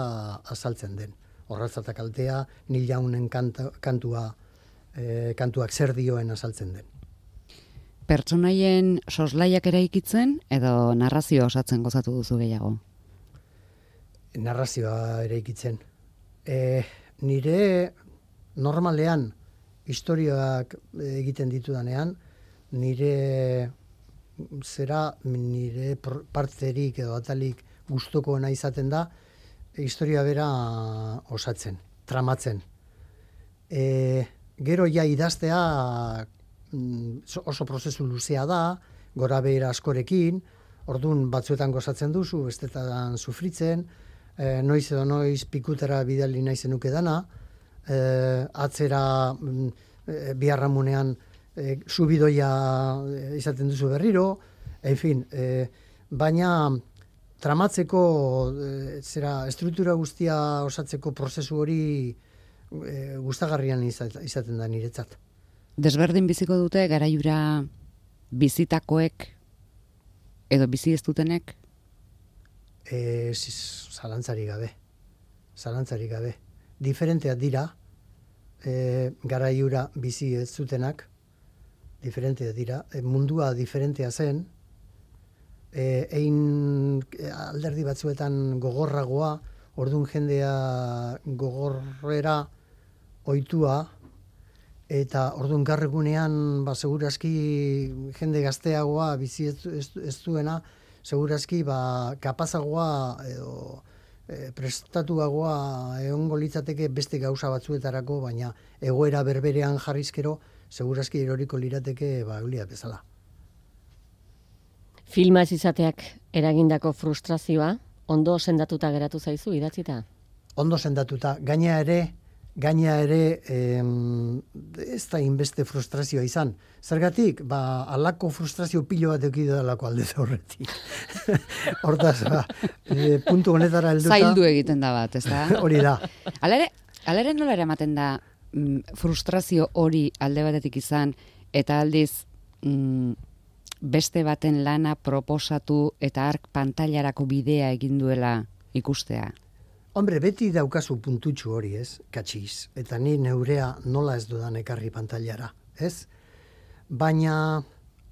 [SPEAKER 2] azaltzen den. Horratzatak altea, Nil Jaunen kanta, kantua, e, kantuak zer dioen azaltzen den.
[SPEAKER 1] Pertsonaien soslaiak eraikitzen edo narrazioa osatzen gozatu duzu gehiago?
[SPEAKER 2] Narrazioa eraikitzen. E, nire normalean historiak egiten ditudanean, nire zera nire parterik edo atalik gustukoena izaten da historia bera osatzen, tramatzen. E, gero ja idaztea oso prozesu luzea da, gora behera askorekin, orduan batzuetan gozatzen duzu, bestetan sufritzen, e, noiz edo noiz pikutera bidali nahi zenuke dana, e, atzera e, biharramunean e, subidoia izaten duzu berriro, en fin, e, baina tramatzeko, e, zera, estruktura guztia osatzeko prozesu hori e, gustagarrian izaten da niretzat.
[SPEAKER 1] Desberdin biziko dute garaiura bizitakoek edo bizi ez dutenek?
[SPEAKER 2] E, zalantzarik gabe. Zalantzarik gabe. Diferenteak dira, e, garaiura bizi ez zutenak, diferenteak dira, e, mundua diferentea zen, e, ein alderdi batzuetan gogorragoa, orduan jendea gogorrera ohitua, eta orduan garregunean, ba, segurazki jende gazteagoa bizi ez, ez, ez duena, segurazki ba, kapazagoa edo e, prestatuagoa egongo litzateke beste gauza batzuetarako, baina egoera berberean jarrizkero, segurazki eroriko lirateke ba, eulia bezala.
[SPEAKER 4] Filma ez izateak eragindako frustrazioa, ondo sendatuta geratu zaizu idatzita?
[SPEAKER 2] Ondo sendatuta, gaina ere, gaina ere em, ez da inbeste frustrazioa izan. Zergatik, ba, alako frustrazio pilo bat eukidu dalako aldez horretik. Hortaz, ba, e, puntu honetara helduta.
[SPEAKER 1] Zaildu egiten da bat, ez da?
[SPEAKER 2] Hori da.
[SPEAKER 1] Alere, alere nola eramaten da mm, frustrazio hori alde batetik izan, eta aldiz mm, beste baten lana proposatu eta ark pantailarako bidea egin duela ikustea?
[SPEAKER 2] Hombre, beti daukazu puntutxu hori, ez, katxiz, eta ni neurea nola ez dudan ekarri pantailara, ez? Baina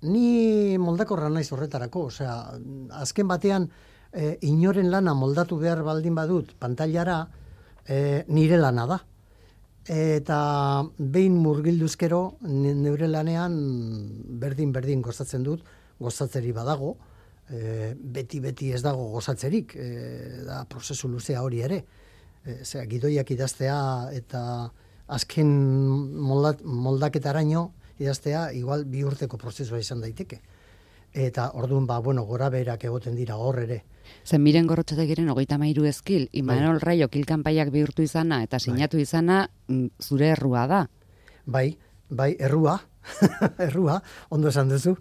[SPEAKER 2] ni moldakorra naiz horretarako, osea, azken batean e, inoren lana moldatu behar baldin badut pantailara, e, nire lana da. Eta behin murgilduzkero neure lanean berdin-berdin gozatzen dut, gozatzeri badago, E, beti beti ez dago gozatzerik, e, da prozesu luzea hori ere. E, zera, gidoiak idaztea eta azken moldat, moldaketaraino idaztea igual bi urteko prozesua izan daiteke. Eta orduan, ba, bueno, gora berak egoten dira hor ere.
[SPEAKER 1] Zen miren gorrotxategiren hogeita mairu ezkil, Imanol bai. Raio kilkanpaiak bihurtu izana eta sinatu bai. izana zure errua da.
[SPEAKER 2] Bai, bai, errua. Errua, ondo esan duzu.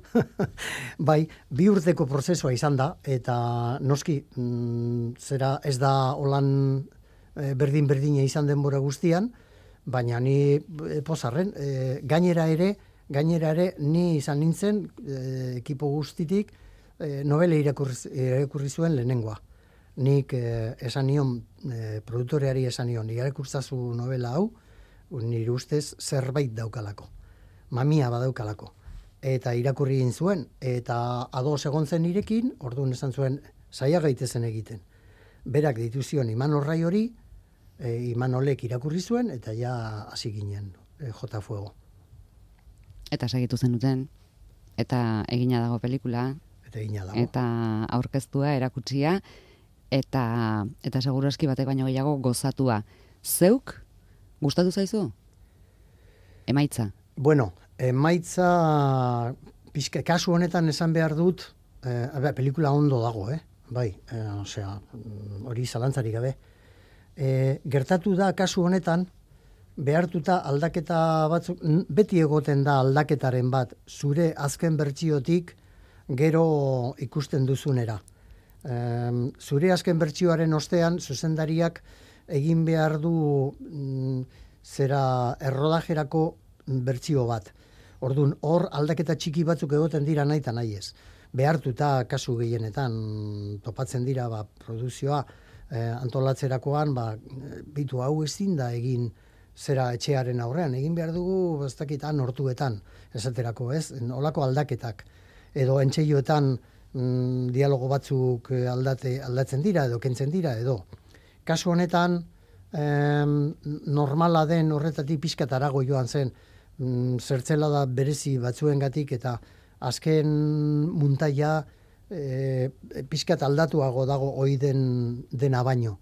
[SPEAKER 2] Bai, bi urteko prozesua izan da, eta noski, mm, zera ez da holan e, berdin-berdina izan denbora guztian, baina ni e, pozarren, e, gainera ere, gainera ere, ni izan nintzen, e, ekipo guztitik, e, novela irakurri, irakurri zuen lehenengoa. Nik e, esan nion, e, produktoreari esan nion, irakurtzazu novela hau, nire ustez zerbait daukalako. Mamia badaukalako. Eta irakurri egin zuen, eta ados egon zen nirekin, orduan esan zuen, saia gaitezen egiten. Berak ditu zion Imanol Rai hori, e, Imanolek irakurri zuen, eta ja hasi ginen, e, jota fuego.
[SPEAKER 1] Eta segitu zenuten, eta egina dago pelikula,
[SPEAKER 2] eta egina dago.
[SPEAKER 1] Eta aurkeztua, erakutsia, eta, eta segurazki batek baino gehiago gozatua. Zeuk, gustatu zaizu? Emaitza?
[SPEAKER 2] Bueno, emaitza, pixka, kasu honetan esan behar dut, eh, abe, pelikula ondo dago, eh? Bai, eh, osea, hori zalantzarik gabe. Eh, gertatu da kasu honetan, behartuta aldaketa batzuk, beti egoten da aldaketaren bat, zure azken bertsiotik gero ikusten duzunera. Eh, zure azken bertsioaren ostean, zuzendariak egin behar du mm, zera errodajerako bertsio bat. Orduan, hor aldaketa txiki batzuk egoten dira nahi eta nahi ez. Behartuta kasu gehienetan topatzen dira ba, produzioa eh, antolatzerakoan, ba, bitu hau ezin da egin zera etxearen aurrean. Egin behar dugu, ez dakitan, hortuetan, esaterako, ez? Olako aldaketak. Edo entxeioetan mm, dialogo batzuk aldate, aldatzen dira, edo kentzen dira, edo. Kasu honetan, em, normala den horretatik pixkat arago joan zen, mm, zertzela da berezi batzuengatik eta azken muntaia e, pixkat aldatuago dago ohi den dena baino.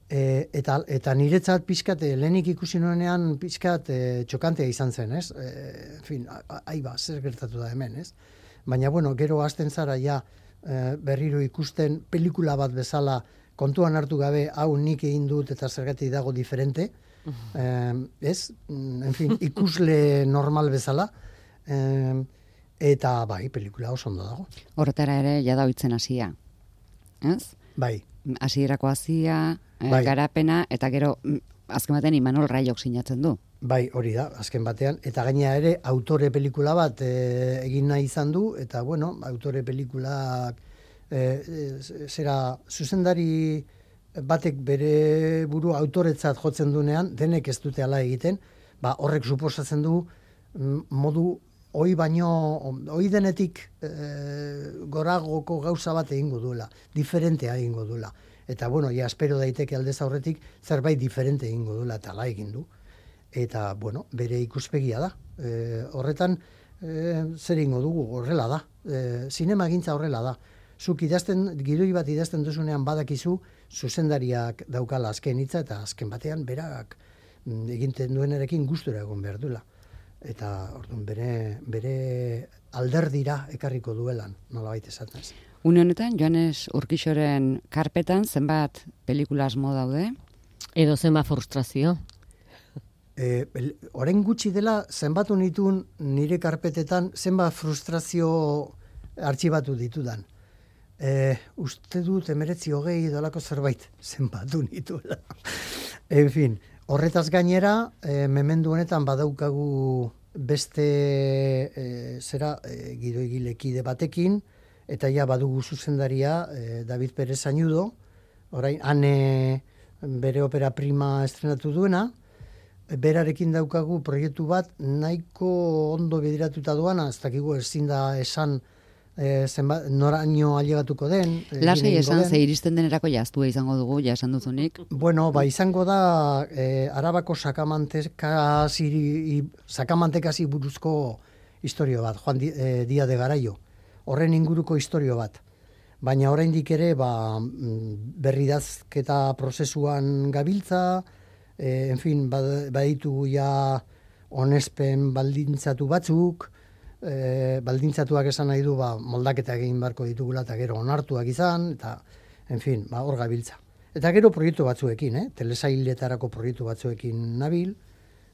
[SPEAKER 2] E, eta, eta niretzat pixkat, e, lehenik ikusi nuenean pixkat e, txokantea izan zen, ez? E, en fin, aiba, zer gertatu da hemen, ez? Baina, bueno, gero hasten zara ja e, berriro ikusten pelikula bat bezala kontuan hartu gabe, hau nik egin dut eta zergatik dago diferente, eh, ez? En fin, ikusle normal bezala, eh, eta bai, pelikula oso ondo dago.
[SPEAKER 1] Horretara ere, jada oitzen hasia, ez?
[SPEAKER 2] Bai.
[SPEAKER 1] Hasierako hasia, eh,
[SPEAKER 2] Bai.
[SPEAKER 1] garapena, eta gero, mm, azken batean Imanol Raiok sinatzen du.
[SPEAKER 2] Bai, hori da, azken batean. Eta gaina ere, autore pelikula bat e, egin nahi izan du, eta bueno, autore pelikulak e, e, zera zuzendari batek bere buru autoretzat jotzen dunean, denek ez dute hala egiten, ba, horrek suposatzen du mm, modu hoi baino, hoi denetik e, goragoko gauza bat egingo duela, diferentea egingo duela. Eta bueno, ja espero daiteke aldez aurretik zerbait diferente egingo duela, eta hala egin du. Eta, bueno, bere ikuspegia da. E, horretan, e, zer ingo dugu, horrela da. E, zinema gintza horrela da. Zuk idazten, gidoi bat idazten duzunean badakizu, zuzendariak daukala azken hitza, eta azken batean berak egiten duenarekin gustura egon behar duela. Eta, orduan, bere, bere alderdira ekarriko duelan, nolabait esatez.
[SPEAKER 1] Une honetan, Joanes Urkixoren karpetan, zenbat pelikula asmo daude?
[SPEAKER 4] Edo zenbat frustrazio?
[SPEAKER 2] E, orain gutxi dela, zenbatu nituen nire karpetetan, zenbat frustrazio artxibatu ditudan. E, uste dut emeretzi hogei dolako zerbait zenbatu nituela. En fin, horretaz gainera, e, memendu honetan badaukagu beste e, zera e, gidoigilekide batekin, eta ja badugu zuzendaria e, David Pérez Añudo, orain ane bere opera prima estrenatu duena, berarekin daukagu proiektu bat nahiko ondo bideratuta duana, ez dakigu ezin da esan e, zenbat, noraino ailegatuko den.
[SPEAKER 1] Lasai esan, ze iristen denerako jaztua izango dugu, ja esan duzunik.
[SPEAKER 2] Bueno, ba, izango da e, Arabako sakamantekasi, sakamantekasi buruzko historio bat, Juan Di, e, Dia de Garaio. Horren inguruko historio bat. Baina oraindik ere ba, berridazketa prozesuan gabiltza, e, en fin, baditu ja onespen baldintzatu batzuk, e, baldintzatuak esan nahi du ba, moldaketa egin beharko ditugula eta gero onartuak izan, eta en fin, ba, hor gabiltza. Eta gero proiektu batzuekin, eh? Telesailetarako proiektu batzuekin nabil,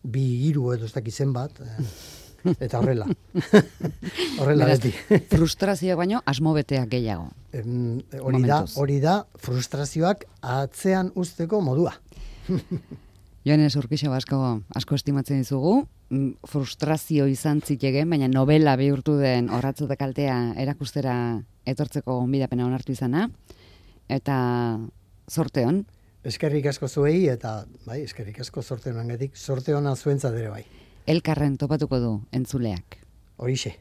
[SPEAKER 2] bi hiru edo ez dakizen bat, eh? Eta horrela. Horrela beti.
[SPEAKER 1] Frustrazioak baino asmobeteak gehiago.
[SPEAKER 2] Em, hori da, hori da frustrazioak atzean uzteko modua.
[SPEAKER 1] Joanes Urkixo asko asko estimatzen dizugu. Frustrazio izan zitekeen, baina novela bihurtu den Orratzude kaltea erakustera etortzeko gonbidapena onartu izana. Eta zorte on.
[SPEAKER 2] Eskerrik asko zuei eta bai, eskerrik asko zorte honengatik. Zorte ona zuentzat ere bai.
[SPEAKER 1] Elkarren topatuko du entzuleak.
[SPEAKER 2] Horixe.